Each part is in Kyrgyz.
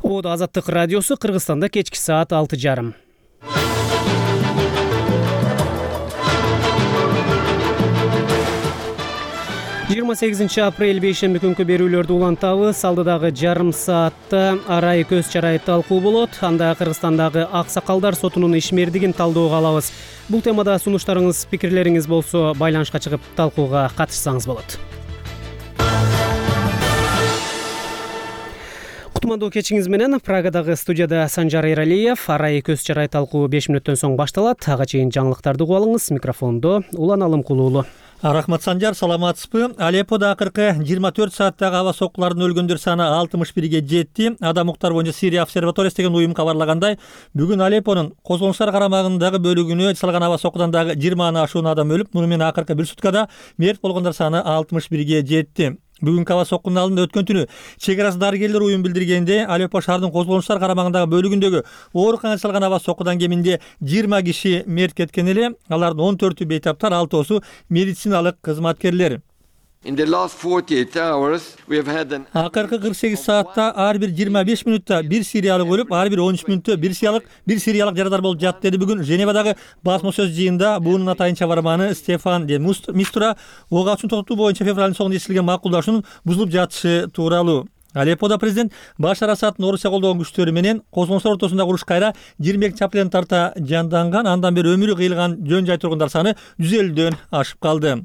Оодо Азаттык радиосу Кыргызстанда кечки саат 6:30. 28 апрель бейшемби күнкү берүүлөрдү улантабыз. Алдыдагы жарым саатта арай көз чарай талкуу болот. Анда Кыргызстандагы аксакалдар сотунун ишмердигин талдөөгө алабыз. Бул темада сунуштарыңыз, пикирлериңиз болсо байланышка чыгып талкууга катышсаңыз болот. Кутмандуу кечиңиз менен Прагадагы студияда Санжар Эралиев. Арай көз чарай талкуу 5 мүнөттөн соң башталат. Ага чейин жаңылыктарды угуп алыңыз. Микрофондо Улан Алымкулуулу. Рахмат, Санжар, саламатсызбы? Алепподо акыркы 24 сааттагы аба соккуларынын өлгөндөр саны 61ге жетти. Адам укуктар боюнча Сирия обсерваториясы деген уюм кабарлагандай, бүгүн Алеппонун козголоңчулар карамагындагы бөлүгүнө чалган аба соккудан дагы 20 ашуун адам өлүп, муну менен акыркы бир суткада мерт болгондор саны 61ге жетти. Бүгүнкү аба соккунун алдында өткөн түнү чек арасы дарыгерлер уюм билдиргенде, Алеппо шаарынын козголоңчулар карамагындагы бөлүгүндөгү ооруканага чалган аба соккудан кеминде 20 киши мерт кеткен эле. Алардын 14-ü бейтаптар, 6-сы медициналык кызматкерлер. Акыркы 48 саатта ар бир 25 мүнөттө бир сириялык өлүп, ар бир 13 мүнөттө бир сириялык жарадар болуп жатты деди бүгүн Женевадагы басма сөз жыйында буунун атайынча барманы Стефан де Мистура ок атышууну токтотуу боюнча февралдын соңунда эсилген макулдашуунун бузулуп жатышы тууралуу. Алепподо президент Башар Асаддын Орусия колдогон күчтөрү менен козголоңчулар ортосундагы уруш кайра 22 апрелден тарта жанданган, андан бери өмүрү кыйылган жөн жай тургундар саны 150дөн ашып калды.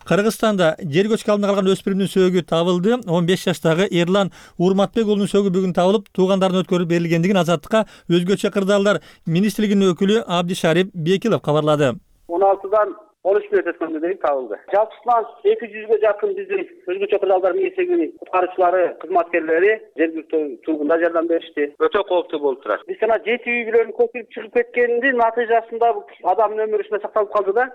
Кыргызстанда жер көчкү алдында калган өспүрүмдүн сөөгү табылды. 15 жаштагы Эрлан Урматбек уулунун сөөгү бүгүн табылып, туугандарына өткөрүп берилгендигин Азаттыкка өзгөчө кырдаалдар министрлигинин өкүлү Абдишарип Бекилов кабарлады. 16-дан 13 мүнөт өткөндө дейин табылды. Жалпысынан 200ге жакын биздин өзгөчө кырдаалдар миңсегинин куткаруучулары, кызматкерлери жергиликтүү тургундар жардам беришти. Өтө кооптуу болуп турат. Биз жана 7 үй бүлөнүн көчүп чыгып кеткенинин натыйжасында адамдын өмүрү ушундай сакталып калды да.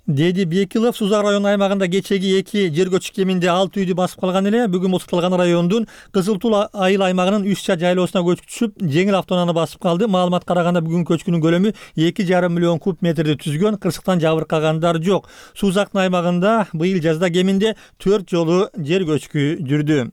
Деди Бекилов Сузак районунун аймагында кечеги 2 жер көчүк кеминде 6 үйдү басып калган эле. Бүгүн музукталган райондун Кызыл Тул айыл аймагынын Үчча жайлоосуна көчүп түшүп, жеңил автоунааны басып калды. Маалымат караганда бүгүн көчкүнүн көлөмү 2,5 миллион куб метрди түзгөн. Кырсыктан жабыркагандар жок. Сузактын аймагында быйыл жазда кеминде 4 жолу жер көчкү жүрдү.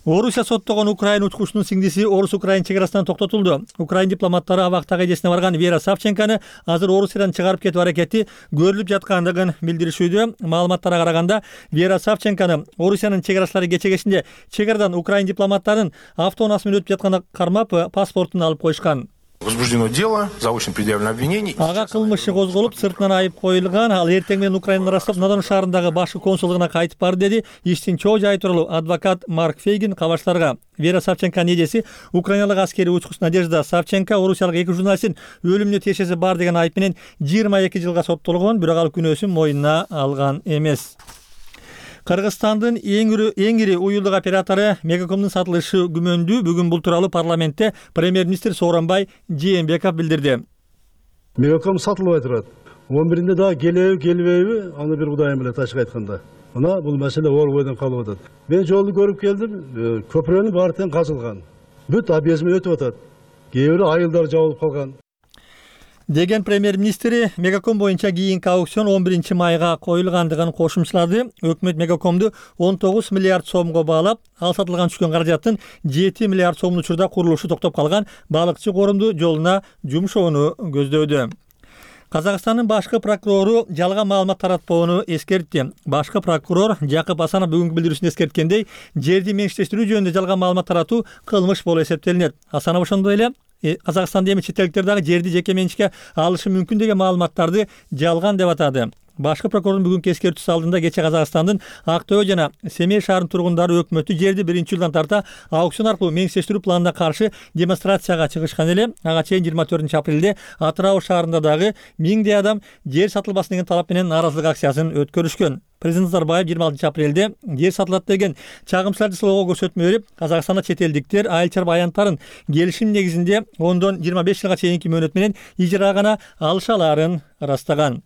Орусия соттогон Украина учкучунун сиңдиси Орус-Украин чек арасынан токтотулду. Украин дипломаттары абактагы эжесине барган Вера Савченканы азыр Орусиядан чыгарып кетүү аракети көрүлүп жаткандыгын билдиришүүдө. Маалыматтарга караганда, Вера Савченканы Орусиянын чек арачылары кече кечинде чек арадан Украин дипломаттарын автоунаасы менен өтүп жатканда кармап, паспортун алып коюшкан. Возбуждено дело, заочно предъявлено обвинение. Ага кылмышы козголуп, сыртынан айып коюлган. Ал эртең менен Украинаны ырастап, Надон шаарындагы башкы консулдугуна кайтып барды деди иштин чоо жайы тууралуу адвокат Марк Фейгин кабарчыларга. Вера Савченканын эжеси Украиналык аскери учкуч Надежда Савченко Орусиялык 2 журналисттин өлүмүнө тиешеси бар деген айып менен 22 жылга соттолгон, бирок ал күнөөсүн мойнуна алган эмес. Кыргызстандын эң ири уюлдук оператору Мегакомдун сатылышы күмөндүү. Бүгүн бул тууралуу парламентте премьер-министр Сооронбай Жээнбеков билдирди. Мегаком сатылбай турат. 11-inde дагы келбейби, аны бир Кудайым билет ачык айтканда. Мына бул маселе оор бойдон калып атат. Мен жолду көрүп келдим, көпүрөнүн баары тең казылган. Бүт объездме өтүп атат. Кээ бирөө айылдар жабылып калган. Деген премьер-министри Мегаком боюнча кийинки аукцион 11 майга коюлгандыгын кошумчалады. Өкмөт Мегакомду 19 миллиард сомго баалап, ал сатылган түшкөн каражаттын 7 миллиард сомдун учурда курулушу токтоп калган балыкчы корумду жолуна жумшоону көздөдү. Казакстандын башкы прокурору жалган маалымат таратпоону эскертти. Башкы прокурор Жакып Асанов бүгүнкү билдирүүсүндө эскерткендей, жерди менчиктештирүү жөнүндө жалган маалымат таратуу кылмыш болуп эсептелинет. Асанов ошондой эле Казакстанда эми чет элдиктер дагы жерди жеке менчикке алышы мүмкүн деген маалыматтарды жалган деп атады. Башкы прокурордун бүгүнкү эскертүүсү алдында кече Казакстандын Ак Төө жана Семей шаарынын тургундары өкмөттү жерди 1-жылдан тарта аукцион аркылуу менчиктештирүү планына каршы демонстрацияга чыгышкан эле. Ага чейин 24 апрелде Атырау шаарында дагы 1000 адам жер сатылбасын деген талап менен нааразылык акциясын өткөрүшкөн. Президент Назарбаев 26 апрелде жер сатылат деген чагымчыларды сылоого көрсөтмө берип, Казакстанда чет элдиктер айыл-чарба аянттарын келишим негизинде 10-25 жылга чейинки мөөнөт менен ижарага гана алыша алаарын ырастаган.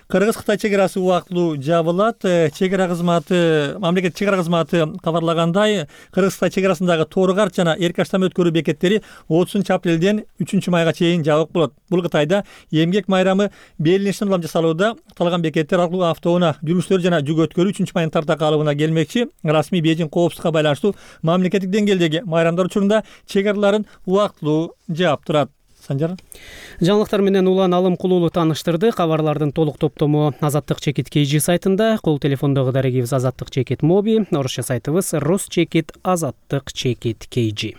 Кыргыз-Кытай чек арасы убактылуу жабылат. Мамлекет чек ара кызматы кабарлагандай, Кыргыз-Кытай чек арасындагы Тору-Карт жана Эркаштам өткөрүү бекеттери 30-апрелден 3-майга чейин жабык болот. Бул Кытайда эмгек майрамы белгиленишинен улам жасалууда. Калган бекеттер аркылуу автоунаа жүргүчүлөр жана жүк өткөрүү 3-майдын тарта калыбына келмекчи. Расмий Бейжиң коопсуздукка байланыштуу мамлекеттик деңгээлдеги майрамдар учурунда чек араларын убактылуу жаап турат. Санжар. Жаңылыктар менен Улан Алымкулуулу тааныштырды. Кабарлардын толук топтому Азаттык чекит KG сайтында, кол телефондогу дарегибиз Азаттык чекит Моби, орусча сайтыбыз Рус чекит Азаттык чекит KG.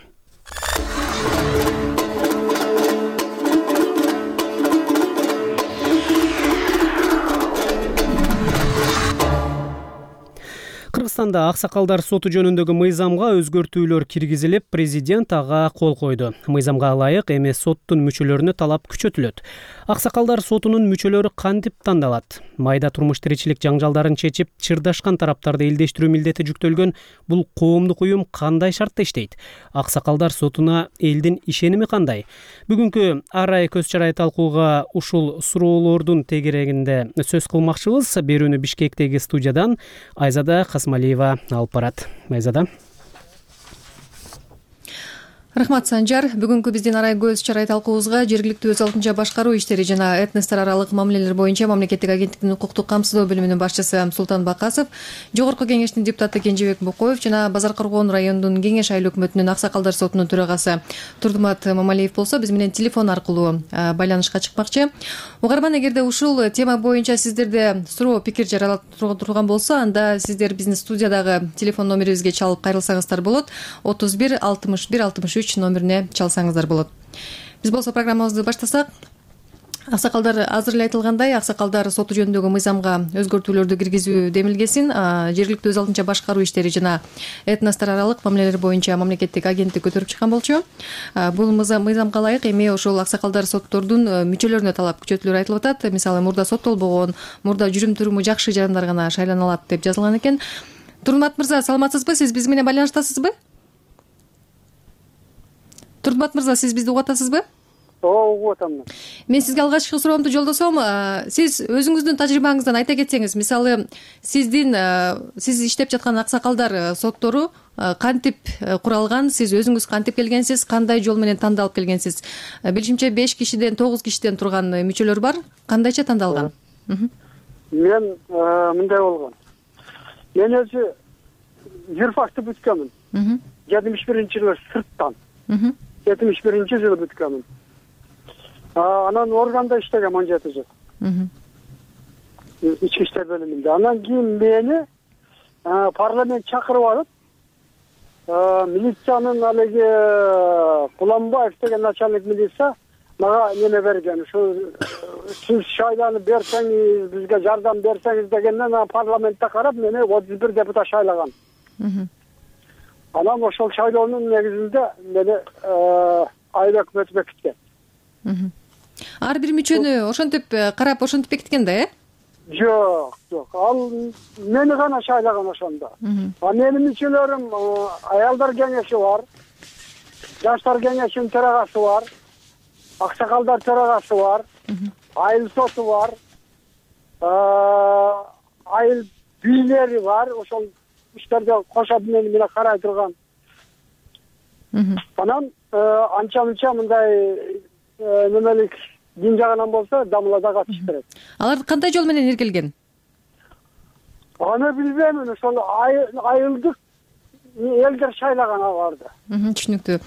Кыргызстанда аксакалдар соту жөнүндөгү мыйзамга өзгөртүүлөр киргизилип, президент ага кол койду. Мыйзамга ылайык эми соттун мүчөлөрүнө талап күчөтүлөт. Аксакалдар сотунун мүчөлөрү кантип тандалат? Майда турмуш тиричилик жаңжалдарын чечип, чырдашкан тараптарды элдештирүү милдети жүктөлгөн бул коомдук уюм кандай шартта иштейт? Аксакалдар сотуна элдин ишеними кандай? Бүгүнкү арай көз чарай талкууга ушул суроолордун тегерегинде сөз кылмакчыбыз. Берүүнү Бишкектеги студиядан Айзада Касмалиева алып барат. Айзада. Рахмат, Санжар. Бүгүнкү биздин арай көз чарай талкуубузга жергиликтүү өз алдынча башкаруу иштери жана этностор аралык мамилелер боюнча мамлекеттик агенттиктин укуктук камсыздоо бөлүмүнүн башчысы Султан Бакасов, Жогорку кеңештин депутаты Кенжебек Букоев жана Базар Коргоон районунун кеңеш айыл өкмөтүнүн аксакалдар сотунун төрагасы Турдумат Мамалиев болсо, биз менен телефон аркылуу байланышка чыкмакчы. Угарман, эгерде ушул тема боюнча сиздерде суроо пикир жаралып турган болсо, анда сиздер биздин студиядагы телефон номерибизге чалып кайрылсаңыздар болот. 31 61 63 номерине чалсаңыздар болот. Биз болсо программабызды баштасак, аксакалдар азыр эле айтылгандай, аксакалдар соту жөнүндөгү мыйзамга өзгөртүүлөрдү киргизүү демилгесин жергиликтүү өз алдынча башкаруу иштери жана этностор аралык мамилелер боюнча мамлекеттик агенттик көтөрүп чыккан болчу. Бул мыйзамга ылайык эми ошол аксакалдар соттордун мүчөлөрүнө талап күчөтүүлөр айтылып атат. Мисалы, мурда соттолбогон, мурда жүрүм туруму жакшы жарандар гана шайлана алат деп жазылган экен. Турдумат мырза, саламатсызбы? Сиз биз менен байланыштасызбы? Турдумат мырза, сиз бизди угуп атасызбы? Ооба, угуп атамын. Мен сизге алгачкы суроомду жолдосом. Сиз өзүңүздүн тажрыйбаңыздан айта кетсеңиз, мисалы, сиз иштеп жаткан аксакалдар соттору кантип куралган, сиз өзүңүз кантип келгенсиз, кандай жол менен тандалып келгенсиз? Билишимче 5 кишиден 9 кишиден турган мүчөлөр бар. Кандайча тандалган? Мен мындай болгон. Мен өзү юрфакты бүткөнмүн. 71-жылы сырттан. 71-жылы бүткөнмүн. Анан органда иштегем 17 жыл. Ички иштер бөлүмүндө. Анан кийин мени парламент чакырып алып, милициянын алеги Куланбаев деген начальник милиция мага неме берген. Сиз шайланып берсеңиз, бизге жардам берсеңиз дегенден парламентте карап мени 31 депутат шайлаган. Анан ошол шайлоонун негизинде мени айыл өкмөтү бекиткен. Ар бир мүчөнү ошентип карап, ошентип бекиткен да, Жок. Ал мени гана шайлаган ошондо. Менин мүчөлөрүм аялдар кеңеши бар, жаштар кеңешинин төрагасы бар, аксакалдар төрагасы бар, айыл соту бар, айыл бийлери бар. Ошол иштерде кошо мени карай турган. Анан анча-мынча мындай немелик дин жагынан болсо дамылада катышып берет. Алар кандай жол менен иргилген? Аны билбейм, ошол айылдык элдер шайлаган аларды. Түшүнүктүү.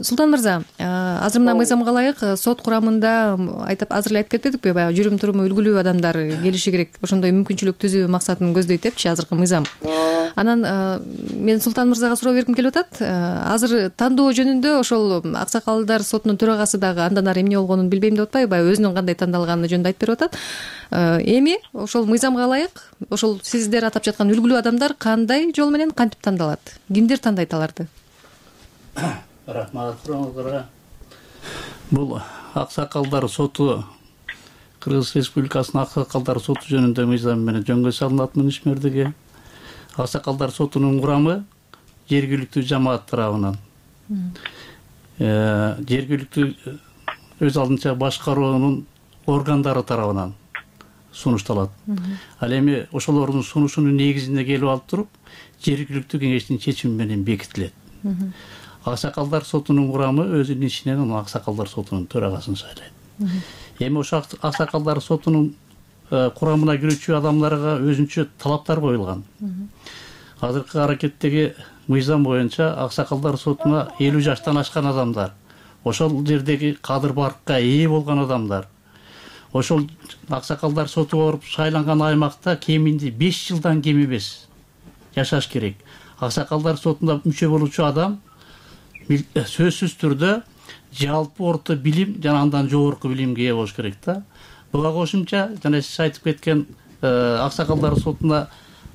Султан мырза, азыр мына мыйзамга ылайык сот курамында азыр эле айтып кетпедикпи, баягы жүрүм туруму үлгүлүү адамдар келиши керек, ошондой мүмкүнчүлүк түзүү максатын көздөйт депчи азыркы мыйзам. Анан мен Султан мырзага суроо бергим келип атат. Азыр тандоо жөнүндө ошол аксакалдар сотунун төрагасы дагы андан ары эмне болгонун билбейм деп атпайбы, баягы өзүнүн кандай тандалганы жөнүндө айтып берип атат. Эми ошол мыйзамга ылайык ошол сиздер атап жаткан үлгүлүү адамдар кандай жол менен кантип тандалат? Кимдер тандайт аларды? Рахмат сурооңуздарга. Бул аксакалдар соту Кыргыз Республикасынын аксакалдар соту жөнүндө мыйзам менен жөнгө салынатмын ишмердиги. Аксакалдар сотунун курамы жергиликтүү жамаат тарабынан, жергиликтүү өз алдынча башкаруунун органдары тарабынан сунушталат. Ал эми ошолордун сунушунун негизинде келип алып туруп жергиликтүү кеңештин чечими менен бекитилет. Аксакалдар сотунун курамы өзүнүн ичинен аксакалдар сотунун төрагасын шайлайт. Эми ошол аксакалдар сотунун курамына кирүүчү адамдарга өзүнчө талаптар коюлган. Азыркы аракеттеги мыйзам боюнча аксакалдар сотуна 50 жаштан ашкан адамдар, ошол жердеги кадыр баркка ээ болгон адамдар, ошол аксакалдар сотуга барып шайланган аймакта кеминде 5 жылдан кем эмес жашаш керек. Аксакалдар сотуна мүчө болуучу адам сөзсүз түрдө жалпы орто билим жана андан жогорку билимге ээ болуш керек да. Буга кошумча жана сиз айтып кеткен аксакалдар сотуна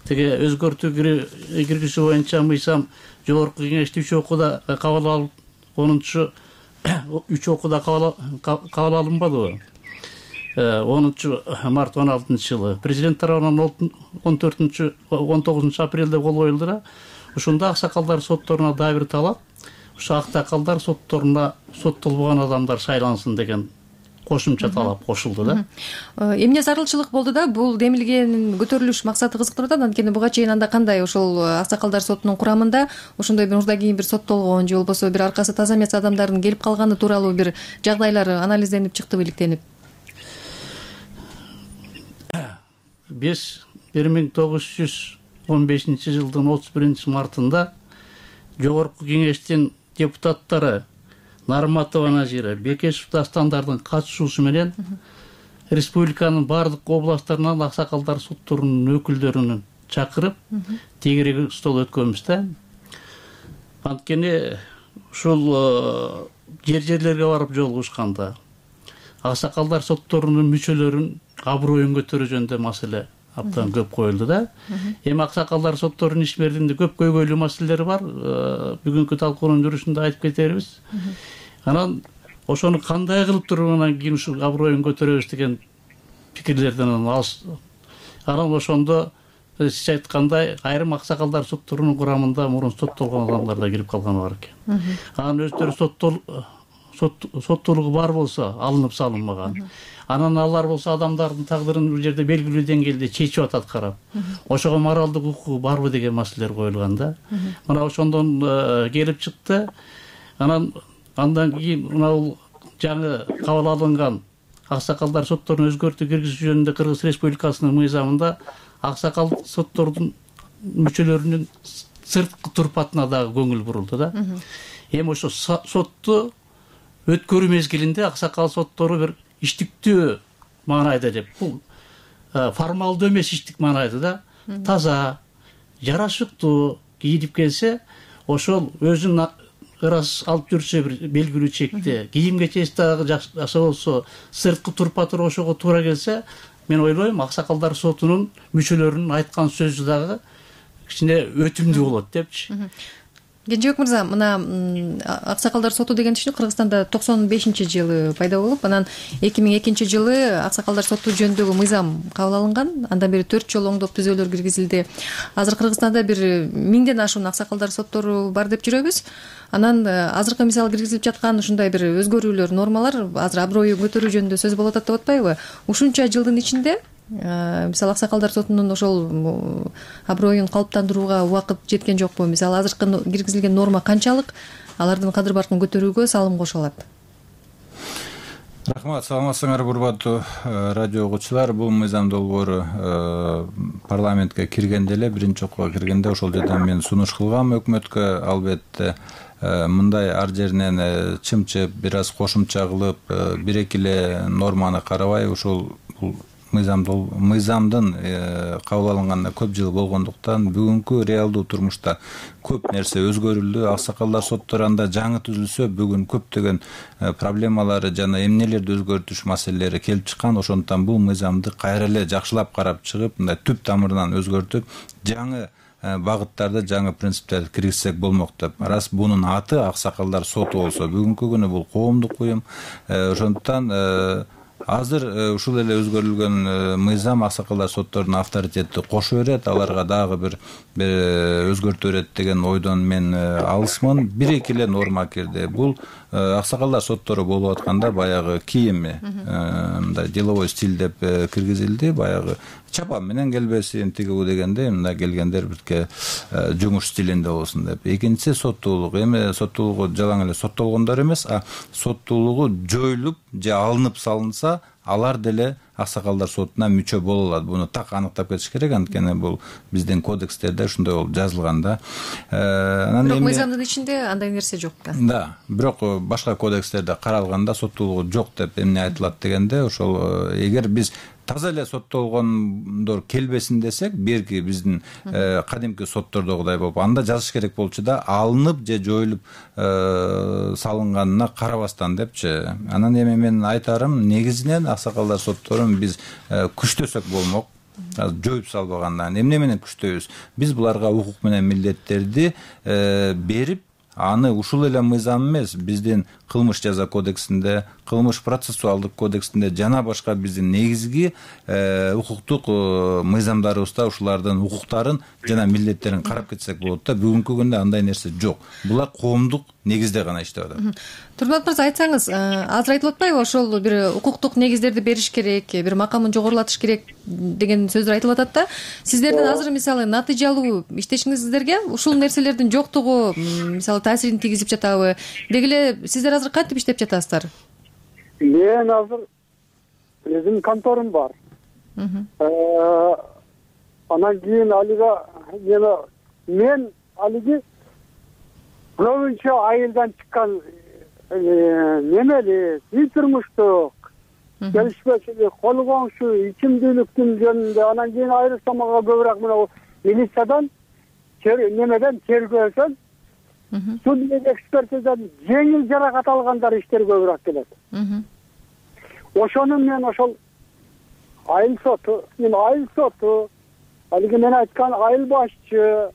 теге өзгөртүү киргизүү боюнча мыйзам жогорку кеңеште 3 окууда кабыл алып 3 окууда кабыл алынбадыбы? 10 март 16-жылы президент тарабынан 19 апрелде кол коюлду да. Ушунда аксакалдар сотторуна дагы бир талап, ушу аксакалдар сотторуна соттолбогон адамдар шайлансын деген кошумча талап кошулду да. Эмне зарылчылык болду да? Бул демилгенин көтөрүлүш максаты кызыктырып атат. Анткени буга чейин анда кандай ошол аксакалдар сотунун курамында ошондой бир мурда кийин бир соттолгон же болбосо бир аркасы таза эмес адамдардын келип калганы тууралуу бир жагдайлар анализденип чыктыбы, иликтенип? Биз 1915-жылдын 31-мартында жогорку кеңештин депутаттары Нарматова Назира, Бекешев Дастандардын катышуусу менен республиканын бардык областтарынан аксакалдар сотторунун өкүлдөрүн чакырып тегерек стол өткөнбүз да. Анткени ушул жерлерге барып жолугушканда аксакалдар сотторунун мүчөлөрүн аброюн көтөрүү жөнүндө маселе абдан көп коюлду да. Эми аксакалдар сотторунун ишмердинде көп көйгөйлүү маселелери бар. Бүгүнкү талкуунун жүрүшүндө айтып кетербиз. Анан ошону кандай кылып туруп анан кийин ушул аброюн көтөрөбүз деген пикирлерден анан ошондо сиз айткандай айрым аксакалдар сотторунун курамында мурун соттолгон адамдар да кирип калганы бар экен. Анан өздөрү соттуулугу бар болсо алынып салынмаган. Анан алар болсо адамдардын тагдырын бул жерде белгилүү деңгээлде чечип атат карап. Ошого моралдык укугу барбы деген маселелер коюлган да. Мына ошондон келип чыкты. Андан кийин мына бул жаңы кабыл алынган аксакалдар сотторун өзгөртүү киргизүү жөнүндө Кыргыз Республикасынын мыйзамында аксакал соттордун мүчөлөрүнүн сырткы турпатына дагы көңүл бурулду да. Эми ошо сотту өткөрүү мезгилинде аксакал соттору бир иштиктүү маанайда деп, бул формалдуу эмес иштик маанайда да, таза, жарашыктуу кийинип келсе, ошол өзүн ырас алып жүрсө бир белгилүү чекте, кийим кечеси дагы жакшы болсо, сырткы турпатыр ошого туура келсе, мен ойлойм аксакалдар сотунун мүчөлөрүнүн айткан сөзү дагы кичине өтүмдүү болот депчи. Кенжебек мырза, мына аксакалдар соту деген түшүнүк Кыргызстанда 95-жылы пайда болуп, анан 2002-жылы аксакалдар соту жөнүндөгү мыйзам кабыл алынган. Андан бери 4 жолу оңдоп түзөөлөр киргизилди. Азыр Кыргызстанда бир 1000ден ашуун аксакалдар соттору бар деп жүрөбүз. Анан азыркы мисалы киргизилип жаткан ушундай бир өзгөрүүлөр, нормалар азыр аброюн көтөрүү жөнүндө сөз болуп атат деп атпайбы? Ушунча жылдын ичинде мисалы аксакалдар сотунун ошол аброюн калыптандырууга убакыт жеткен жокпу? Мисалы азыркы киргизилген норма канчалык алардын кадыр баркын көтөрүүгө салым кошо алат? Рахмат, саламатсыңар урматтуу радио угуучулар. Бул мыйзам долбоору парламентке киргенде эле, биринчи окууга киргенде ошол жерден мен сунуш кылгам өкмөткө. Албетте мындай ар жеринен чымчып, бир аз кошумча кылып, бир-эки эле норманы карабай, ушул бул мыйзамдын кабыл алынганына көп жыл болгондуктан бүгүнкү реалдуу турмушта көп нерсе өзгөрүлдү. Аксакалдар соттору анда жаңы түзүлсө, бүгүн көптөгөн проблемалары жана эмнелерди өзгөртүш маселелери келип чыккан. Ошондуктан бул мыйзамды кайра эле жакшылап карап чыгып, мындай түп тамырынан өзгөртүп, жаңы багыттарды, жаңы принциптерди киргизсек болмок деп. Рас бунун аты аксакалдар соту болсо, бүгүнкү күнү бул коомдук уюм. Ошондуктан азыр ушул эле өзгөрүлгөн мыйзам аксакалдар соттордун авторитетти кошо берет, аларга дагы бир өзгөртө берет деген ойдон мен алысмын. Бир-эки эле норма кирди. Бул аксакалдар соттору болуп атканда баягы кийими мындай деловой стиль деп киргизилди. Баягы чапан менен келбесин, тигүү дегенде мындай келгендер бирке жумуш стилинде болсун деп. Экинчиси соттуулук. Эми соттуулугу жалаң эле соттолгондор эмес, соттуулугу жоюлуп же алынып салынса, алар деле аксакалдар сотуна мүчө боло алат. Буну так аныктап кетиш керек, анткени бул биздин кодекстерде ушундай болуп жазылган да. Бирок мыйзамдын ичинде андай нерсе жок да. Да, бирок башка кодекстерде каралганда соттуулугу жок деп эмне айтылат дегенде, ошол эгер биз таза эле соттолгондор келбесин десек, берки биздин кадимки соттордогудай болуп, анда жазыш керек болчу да, алынып же жоюлуп салынганына карабастан депчи. Анан эми мен айтарым, негизинен аксакалдар сотторун биз күчтөсөк болмок. Жоюп салбагандан эмне менен күчтөйбүз? Биз буларга укук менен милдеттерди берип, аны ушул эле мыйзам эмес, биздин кылмыш жаза кодексинде, кылмыш процессуалдык кодексинде жана башка биздин негизги укуктук мыйзамдарыбызда ушулардын укуктарын жана милдеттерин карап кетсек болот да. Бүгүнкү күндө андай нерсе жок. Булар коомдук негизде гана иштеп атат. Турмат мырза, айтсаңыз, азыр айтылып атпайбы, ошол бир укуктук негиздерди бериш керек, бир макамын жогорулатыш керек деген сөздөр айтылып атат да. Сиздердин азыр мисалы натыйжалуу иштешиңиздерге ушул нерселердин жоктугу мисалы таасирин тийгизип жатабы? Деги эле сиздер азыр кантип иштеп жатасыздар? Мен азыр өзүм конторум бар. Анан кийин алига мен алиги көбүнчө айылдан чыккан немели үй турмуштук келишпечилик, кол коңшу, ичимдүүлүктүн жөнүндө, анан кийин айрылсам мага көбүрөөк мына милициядан, немеден, тергөөдөн, судебный экспертизадан жеңил жаракат алгандар иштер көбүрөөк келет. Ошону мен ошол айыл соту, алиги мен айткан айыл башчы,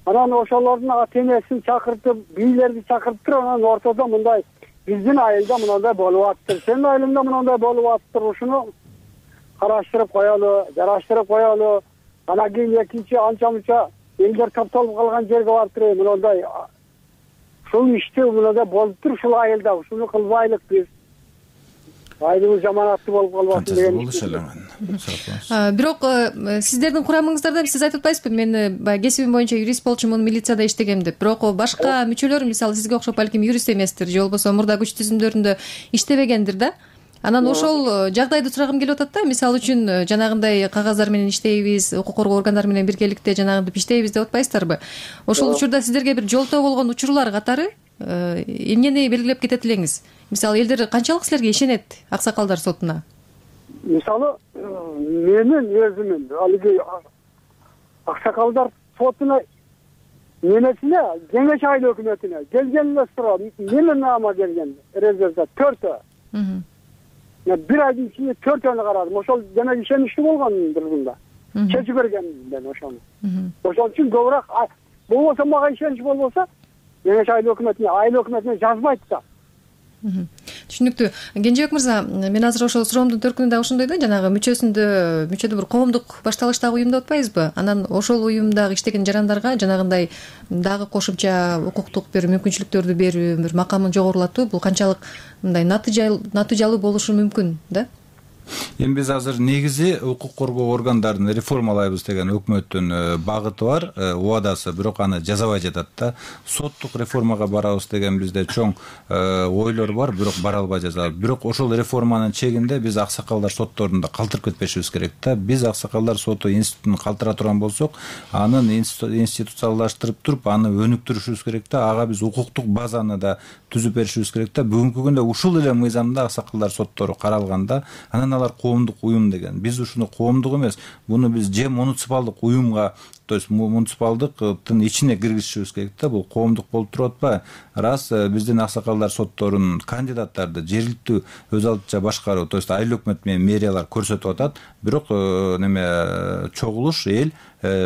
анан ошолордун ата-энесин чакыртып, бийлерди чакыртып туруп, анан ортодо мындай биздин айылда мындай болуп атыптыр, сенин айылыңда мындай болуп атыптыр, ушуну караштырып коелу, жараштырып коелу. Анан кийин экинчи анча-мунча элдер топтолуп калган жерге барып туруп, мындай ушул ишти мындай болуптур ушул айылда, ушуну кылбайлык биз. Айылыбыз жаманаттуу болуп калбасын деген. Бирок сиздердин курамыңыздарда сиз айтып атпайсызбы, мен баягы кесибим боюнча юрист болчумун, милицияда иштегем деп. Бирок башка мүчөлөр мисалы сизге окшоп балким юрист эместир, же болбосо мурда күч түзүмдөрүндө иштебегендир да. Анан ошол жагдайды сурагым келип атат да. Мисалы үчүн жанагындай кагаздар менен иштейбиз, укук коргоо органдары менен биргеликте жанагынтип иштейбиз деп атпайсыздарбы? Ошол учурда сиздерге бир жолтоо болгон учурлар катары эмнени белгилеп кетет элеңиз? Мисалы элдер канчалык силерге ишенет аксакалдар сотуна? Мисалы менин өзүмүн алиги аксакалдар сотуна немесине, Кеңеш айыл өкмөтүнө келген эле суроо, эмне наама келген результат 4. Бир айдын ичинде 4-өнү карадым. Ошол демек ишеничтүү болгондур мында. Чечип берген мен ошону. Ошол үчүн көбүрөөк болбосо мага ишенич болбосо, Кеңеш айыл өкмөтүнө жазбайт да. Түшүнүктүү. Кенжебек мырза, мен азыр ошол суроомдун төркүнүндө ушундай да, жанагы мүчөдө бир коомдук башталыштагы уюм деп атпайбызбы? Анан ошол уюмдагы иштеген жарандарга жанагындай дагы кошумча укуктук бир мүмкүнчүлүктөрдү берүү, бир макамын жогорулатуу, бул канчалык мындай натыйжалуу болушу мүмкүн да? Эми биз азыр негизи укук коргоо органдарын реформалайбыз деген өкмөттүн багыты бар, убадасы, бирок аны жасабай жатат да. Соттук реформага барабыз деген бизде чоң ойлор бар, бирок бара албай жатабыз. Бирок ошол реформанын чегинде биз аксакалдар сотторун да калтырып кетпешибиз керек да. Биз аксакалдар соту институтун калтыра турган болсок, анын институциалдаштырып туруп, аны өнүктүрүшүбүз керек да. Ага биз укуктук базаны да түзүп беришибиз керек да. Бүгүнкү күндө ушул эле мыйзамда аксакалдар соттору каралганда, анан алар коомдук уюм деген. Биз ушуну коомдук эмес, буну биз же муниципалдык уюмга то есть муниципалдыктын ичине киргизишибиз керек да. Бул коомдук болуп туруп атпайбы? Раз биздин аксакалдар сотторунун кандидаттарды жергиликтүү өз алдынча башкаруу, то есть айыл өкмөт менен мэриялар көрсөтүп атат, бирок неме чогулуш эл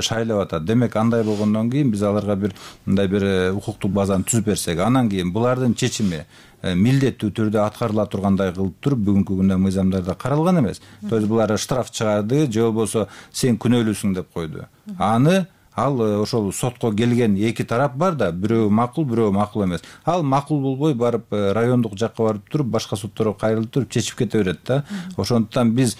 шайлап атат. Демек андай болгондон кийин биз аларга мындай бир укуктук базаны түзүп берсек, анан кийин булардын чечими милдеттүү түрдө аткарыла тургандай кылып туруп бүгүнкү күндө мыйзамдарда каралган эмес. То есть булар штраф чыгарды же болбосо сен күнөөлүүсүң деп койду. Аны ал ошол сотко келген эки тарап бар да, бирөө макул, бирөө макул эмес. Ал макул болбой барып райондук жакка барып туруп, башка сотторго кайрылып туруп чечип кете берет да. Ошондуктан биз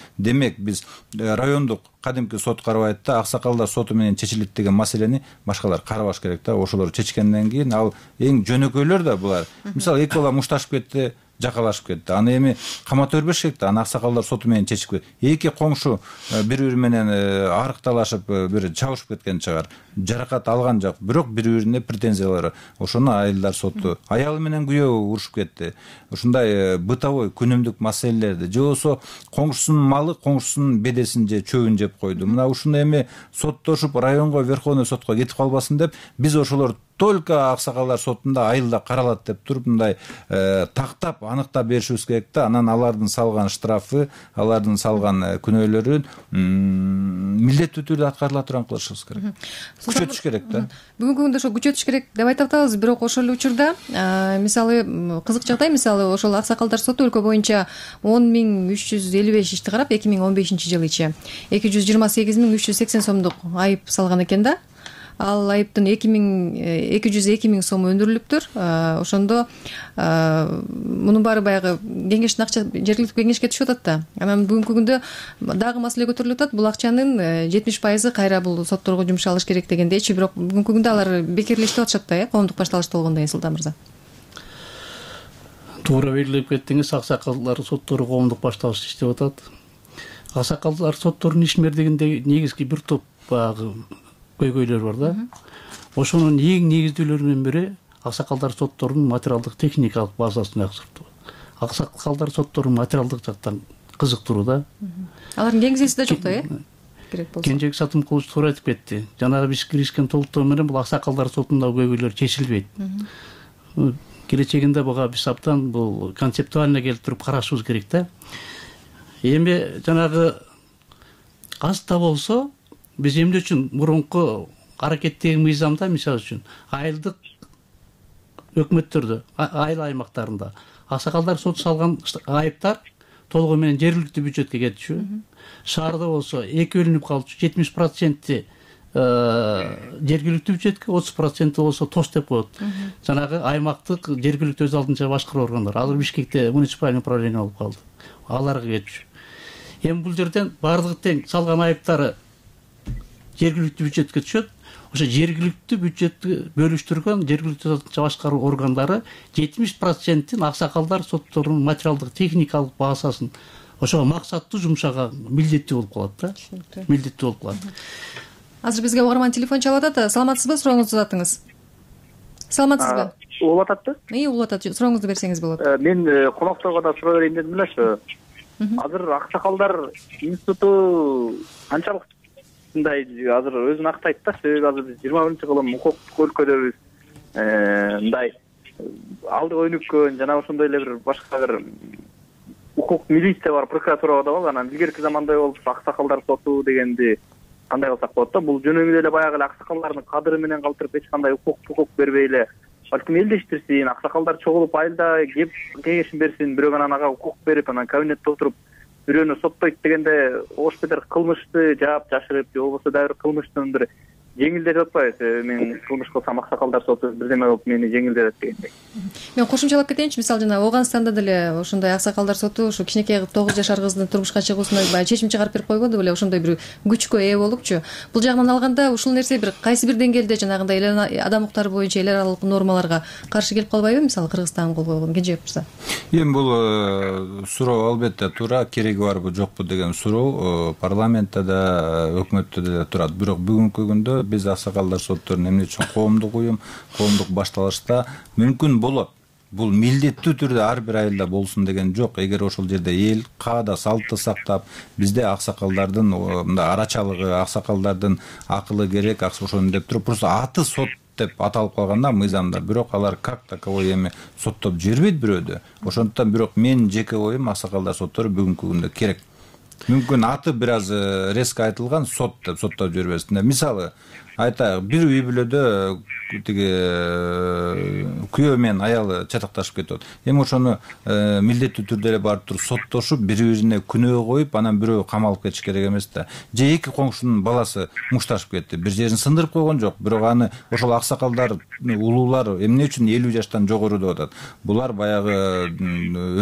райондук кадимки сот карабайт да, аксакалдар соту менен чечилет деген маселени башкалар карабаш керек да. Ошолор чечкенден кийин ал эң жөнөкөйлөр да булар. Мисалы эки бала мушташып кетти, жакалашып кетти. Аны эми камата бербеш керек да. Аны аксакалдар соту менен чечип кетти. Эки коңшу бири-бири менен арыкталашып бир чабышып кеткен чыгар. Жаракат алган жок, бирок бири-бирине претензиялары. Ошону айылдар соту, аялы менен күйөө урушуп кетти. Ушундай бытовой күнүмдүк маселелерди же болсо коңшусунун малы коңшусунун бедесин же чөбүн жеп койду. Мына ушуну эми соттошуп районго, верховный сотко кетип калбасын деп биз ошолор только аксакалдар сотунда айылда каралат деп туруп мындай тактап аныктап беришибиз керек да. Анан алардын салган штрафы, алардын салган күнөөлөрүн милдеттүү түрдө аткарыла турган кылышыбыз керек. Күчөтүш керек да. Бүгүнкү күндө ошо күчөтүш керек деп айтып атабыз, бирок ошол эле учурда мисалы кызык жагдай, мисалы ошол аксакалдар соту өлкө боюнча 10.355 ишти карап 2015-жылы 228.380 сомдук айып салган экен да. Ал айыптын 202.000 сом өндүрүлүптүр. Ошондо мунун баары баягы кеңештин акча жергиликтүү кеңешке түшүп атат да. Анан бүгүнкү күндө дагы маселе көтөрүлүп атат. Бул акчанын 70% кайра бул сотторго жумшалыш керек дегендейчи. Бирок бүгүнкү күндө алар бекерлештип атышат да, коомдук башталышты болгондон кийин, Султан мырза. Туура белгилеп кеттиңиз, аксакалдар соттору коомдук башталышты иштеп атат. Аксакалдар сотторунун ишмердигинде негизги бир топ баягы көйгөйлөр бар да. Ошонун эң негиздүүлөрүнүн бири аксакалдар сотторунун материалдык техникалык базасын жакшыртуу. Аксакалдар соттору материалдык жактан кызыктыруу да. Алардын кеңсеси да жок да, керек болсо. Кенжебек Сатымкулович туура айтып кетти. Жанагы биз киришкен толуктоо менен бул аксакалдар сотундагы көйгөйлөр чечилбейт. Келечегинде буга биз абдан бул концептуально келип туруп карашыбыз керек да. Эми жанагы аз да болсо биз эмне үчүн мурунку аракеттеги мыйзамда, мисалы үчүн айылдык өкмөттөрдө, айыл аймактарында аксакалдар соту салган айыптар толугу менен жергиликтүү бюджетке кетчү. Шаарда болсо эки бөлүнүп калчу, 70% жергиликтүү бюджетке, 30% болсо ТОС деп коет. Жанагы аймактык жергиликтүү өз алдынча башкаруу органдар. Азыр Бишкекте муниципальный управление болуп калды. Аларга кетчү. Эми бул жерден бардыгы тең салган айыптары жергиликтүү бюджетке түшөт. Ошо жергиликтүү бюджетти бөлүштүргөн жергиликтүү башкаруу органдары 70%-ин аксакалдар сотторунун материалдык техникалык базасын ошого максаттуу жумшаган милдеттүү болуп калат да. Милдеттүү болуп калат. Азыр бизге угарман телефон чалып атат. Саламатсызбы? Сурооңузду uzatыңыз. Саламатсызбы? Угуп атат. Угуп атат. Сурооңузду берсеңиз болот. Мен конокторго да суроо берейин дедим эле. Азыр аксакалдар институту канчалык мындай азыр өзүн актайт да, себеби азыр биз 21-кылым укуктук өлкөдөбүз. Мындай алды өнүккөн жана ошондой эле бир башка бир укук милиция бар, прокуратура да бар. Анан илгерки замандай болуп аксакалдар соту дегенди кандай кылсак болот да? Бул жөнөкөй эле баягы эле аксакалдардын кадыры менен калтырып эч кандай укук бербей эле балким элдештирсин, аксакалдар чогулуп айылда кеп кеңешин берсин, бирок анан ага укук берип, анан кабинетте отуруп бирөөнү соттойт дегенде ош бетер кылмышты жаап жашырып, же болбосо дагы бир кылмыштын бир жеңилдетип атпайбы? Мен кылмыш кылсам аксакалдар соту бирдеме болуп мени жеңилдетет дегендей. Мен кошумчалап кетейинчи. Мисалы жана Ооганстанда деле ошондой аксакалдар соту ушу кичинекей 9 жашар кыздын турмушка чыгуусуна баягы чечим чыгарып берип койбоду беле, ошондой бир күчкө ээ болупчу. Бул жагынан алганда ушул нерсе бир кайсы бир деңгээлде жанагындай адам укуктары боюнча эл аралык нормаларга каршы келип калбайбы? Мисалы Кыргызстан кол койгон Кенжебек мырза. Эми бул суроо албетте туура, кереги барбы жокпу деген суроо парламентте да, өкмөттө да турат. Бирок бүгүнкү күндө биз аксакалдар сотторун эмне үчүн коомдук уюм, коомдук башталышта мүмкүн болот. бул милдеттүү түрдө ар бир айылда болсун деген жок. Эгер ошол жерде эл каада салтты сактап, бизде аксакалдардын мындай арачалыгы, аксакалдардын акылы керек, ошону деп туруп просто аты сот деп аталып калганда мыйзамда, бирок алар как таковой эми соттоп жибербейт бирөөдө. Ошондуктан бирок менин жеке оюм аксакалдар соттору бүгүнкү күндө керек. Мүмкүн аты бир аз резко айтылган, сот деп соттоп жибербесин. Мисалы айтайык, бир үй бүлөдө тиги күйөө менен аялы чатакташып кетет. Эми ошону милдеттүү түрдө эле барып туруп соттошуп, бири-бирине күнөө коюп, анан бирөө камалып кетиш керек эмес да. Же эки коңшунун баласы мушташып кетти, бир жерин сындырып койгон жок, бирок аны ошол аксакалдар, улуулар эмне үчүн 50 жаштан жогору деп атат? Булар баягы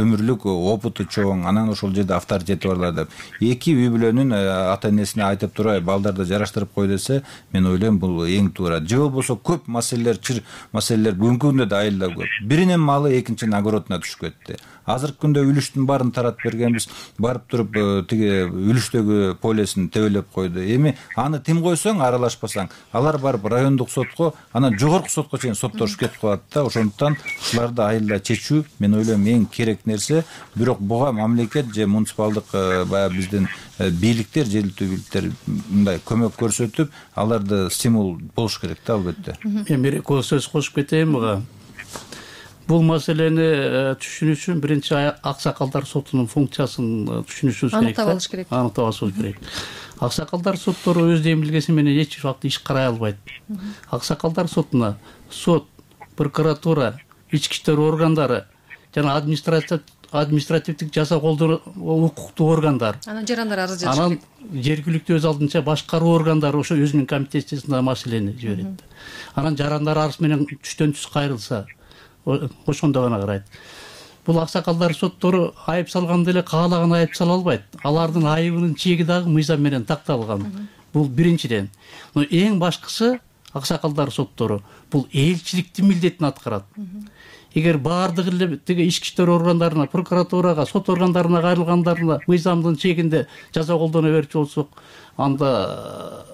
өмүрлүк опыту чоң, анан ошол жерде авторитети барлар деп. Эки үй бүлөнүн ата энесине айтып турай, балдарды жараштырып кой десе, мен ойлойм бул эң туура. Же болбосо көп маселелер, чыр маселелер бүгүнкү күндө да айылда көп. Биринин малы экинчинин огородуна түшүп кетти. Азыркы күндө үлүштүн баарын таратып бергенбиз, барып туруп тиги үлүштөгү полесин тебелеп койду. Эми аны тим койсоң, аралашпасаң, алар барып райондук сотко, анан жогорку сотко чейин соттошуп кетип калат да. Ошондуктан ушуларды айылда чечүү, мен ойлойм, эң керек нерсе. Бирок буга мамлекет же муниципалдык баягы биздин бийликтер, жергиликтүү бийликтер мындай көмөк көрсөтүп, аларды стимул болуш керек да, албетте. Мен бир сөз кошуп кетейин буга. Бул маселени түшүнүү үчүн биринчи аксакалдар сотунун функциясын түшүнүшүбүз керек. Аныктап алыш керек. Аныктап алышыбыз керек. Аксакалдар соттору өз демилгеси менен эч убакта иш карай албайт. Аксакалдар сотуна сот, прокуратура, ички иштер органдары жана административдик жаза колдоо укуктуу органдар, анан жарандар арыз жазыш керек. Анан жергиликтүү өз алдынча башкаруу органдары ошо өзүнүн комитетчесине маселени жиберет. Анан жарандар арыз менен түштөн түз кайрылса, ошондо гана карайт. Бул аксакалдар соттору айып салганда эле каалаган айып сала албайт. Алардын айыбынын чеги дагы мыйзам менен такталган. Бул биринчиден. Но эң башкысы аксакалдар соттору бул элчиликтин милдетин аткарат. Эгер баардыгы эле тиги ички иштер органдарына, прокуратурага, сот органдарына кайрылгандарына мыйзамдын чегинде жаза колдоно берчү болсок, анда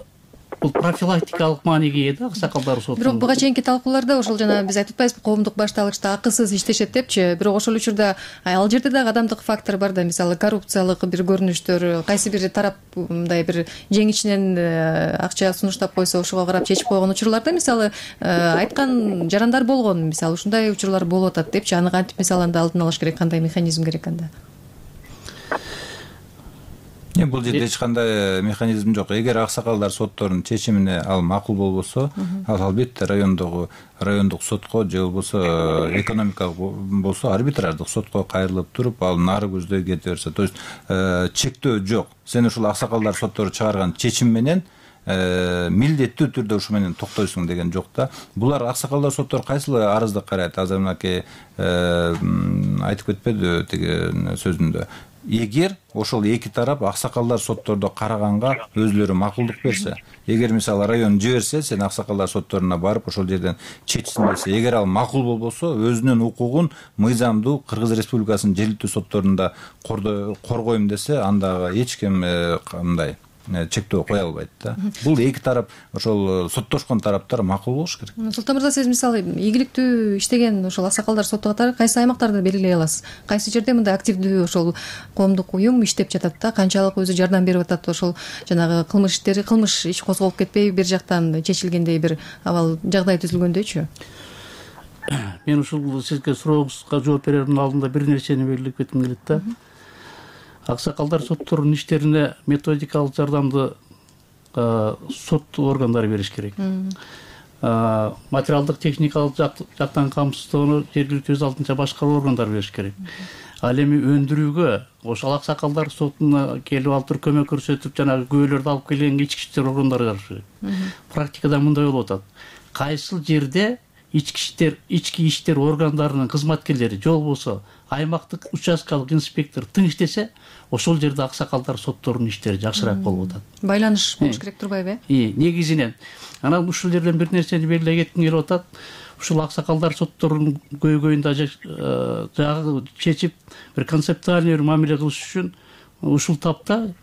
бул профилактикалык мааниге ээ да аксакалдар соту. Бирок буга чейинки талкууларда ошол жана биз айтып атпайбызбы, коомдук башталгычта акысыз иштешет депчи. Бирок ошол учурда ал жерде дагы адамдык фактор бар да, мисалы коррупциялык бир көрүнүштөр, кайсы бир тарап мындай бир жеңичинен акча сунуштап койсо, ошого карап чечип койгон учурларда мисалы айткан жарандар болгон, мисалы ушундай учурлар болуп атат депчи. Аны кантип мисалы анда алдын алыш керек, кандай механизм керек анда? Бул жерде эч кандай механизм жок. Эгер аксакалдар сотторунун чечимине ал макул болбосо, ал албетте райондук сотко же болбосо экономикалык болсо арбитраждык сотко кайрылып туруп, ал нары көздөй кете берсе. То есть чектөө жок. Сен ушул аксакалдар соттору чыгарган чечим менен милдеттүү түрдө ушу менен токтойсуң деген жок да. Булар аксакалдар соттору кайсыл арызды карайт? Азыр мынакей айтып кетпеди тиги сөзүндө. Эгер ошол эки тарап аксакалдар соттордо караганга өзлөрү макулдук берсе, эгер мисалы район жиберсе, сен аксакалдар сотторуна барып ошол жерден чечсин десе, эгер ал макул болбосо, өзүнүн укугун мыйзамдуу Кыргыз Республикасынын жергиликтүү сотторунда коргойм десе, анда эч ким мындай чектөө кое албайт да. Бул эки тарап, ошол соттошкон тараптар макул болуш керек. Султан мырза, сиз мисалы ийгиликтүү иштеген ошол аксакалдар соту катары кайсы аймактарды белгилей аласыз? Кайсы жерде мындай активдүү ошол коомдук уюм иштеп жатат да, канчалык өзү жардам берип атат, ошол жанагы кылмыш иш козголуп кетпей, бир жактан чечилгендей бир абал жагдай түзүлгөндөйчү? Мен ушул сизге сурооңузга жооп берердин алдында бир нерсени белгилеп кетким келет да. Аксакалдар сотторунун иштерине методикалык жардамды сот органдары бериш керек. Материалдык техникалык жактан камсыздоону жергиликтүү өз алдынча башкаруу органдары бериш керек. Ал эми өндүрүүгө ошол аксакалдар сотуна келип алып туруп көмөк көрсөтүп, жанагы күбөлөрдү алып келген ички иштер органдары барыш керек. Практикада мындай болуп атат. Кайсыл жерде ички иштер органдарынын кызматкерлери же болбосо аймактык участкалык инспектор тың иштесе, ошол жерде аксакалдар сотторунун иштери жакшыраак болуп атат. Байланыш болуш керек турбайбы? Негизинен. Анан ушул жерден бир нерсени белгилей кетким келип атат. Ушул аксакалдар сотторунун көйгөйүн жагы чечип, бир концептуальный мамиле кылыш үчүн ушул тапта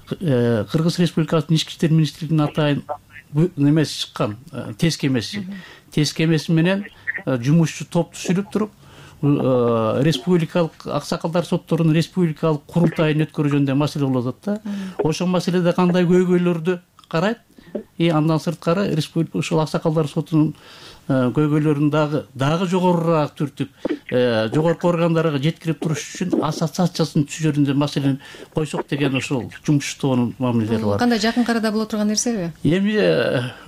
Кыргыз Республикасынын ички иштер министрлигинин атайын немеси чыккан, тез кемеси. Тез кемеси менен жумушчу топ түзүлүп туруп, республикалык аксакалдар сотторунун республикалык курултайын өткөрүү жөнүндө маселе болуп атат да. Ошол маселеде кандай көйгөйлөрдү карайт, андан сырткары ушул аксакалдар сотунун көйгөйлөрүн дагы жогорураак түртүп жогорку органдарга жеткирип туруш үчүн ассоциациясын түзүү жөнүндө маселени койсок деген ошол жумуштоонун мамилелери бар. Кандай жакын арада боло турган нерсеби? Эми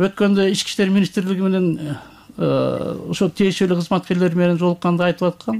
өткөндө Ички иштер министрлиги менен ошо тиешелүү кызматкерлер менен жолукканда айтып аткан.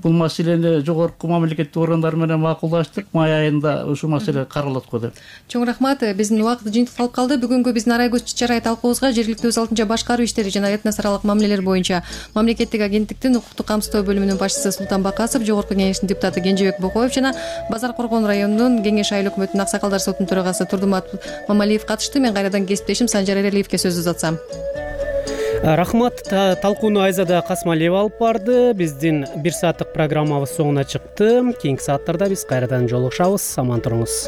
Бул маселени жогорку мамлекеттик органдар менен макулдаштык, май айында ушул маселе каралат го деп. Чоң рахмат. Биздин убакыт жыйынтыкталып калды. Бүгүнкү биздин Арай көз чарай талкуубузга жергиликтүү өз алдынча башкаруу иштери жана этнос аралык мамилелер боюнча мамлекеттик агенттиктин укуктук камсыздоо бөлүмүнүн башчысы Султан Бакасов, жогорку кеңештин депутаты Кенжебек Бокоев жана Базар Коргон районунун Кеңеш айыл өкмөтүнүн аксакалдар сотунун төрагасы Турдумат Мамалиев катышты. Мен кайрадан кесиптешим Санжар Эрелиевке сөз узатсам. Рахмат. Талкууну Айзада Касмалиева алып барды. Биздин 1 сааттык программабыз соңуна чыкты. Кийинки сааттарда биз кайрадан жолугушабыз. Аман туруңуз.